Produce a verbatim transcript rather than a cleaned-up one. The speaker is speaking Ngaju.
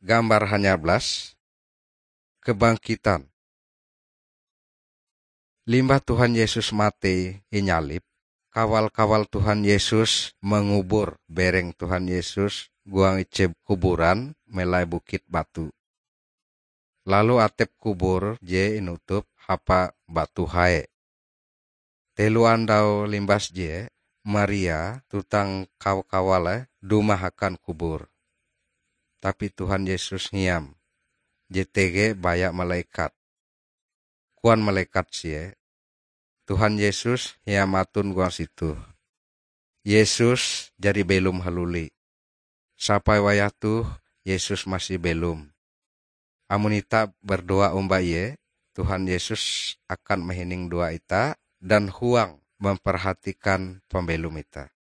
Gambar hanyablas, kebangkitan. Limbah Tuhan Yesus matei inyalib, kawal-kawal Tuhan Yesus mangubur bereng Tuhan Yesus huang ije kuburan melai bukit batu. Lalu atep kubur je inutup hapa batu hae. Telo andau limbas je, Maria tuntang kawa-kawale dumah akan kubur. Tapi Tuhan Yesus hiam, je tege baya malekat. Koan malekat sie, "Tuhan Yesus hiam aton huang situ." Yesus jari belom haluli. Sampai wayah toh Yesus masih belom. Amon itah berdoa omba Ie, Tuhan Yesus akan mahining doa itah dan huang memperhatikan pambelom itah.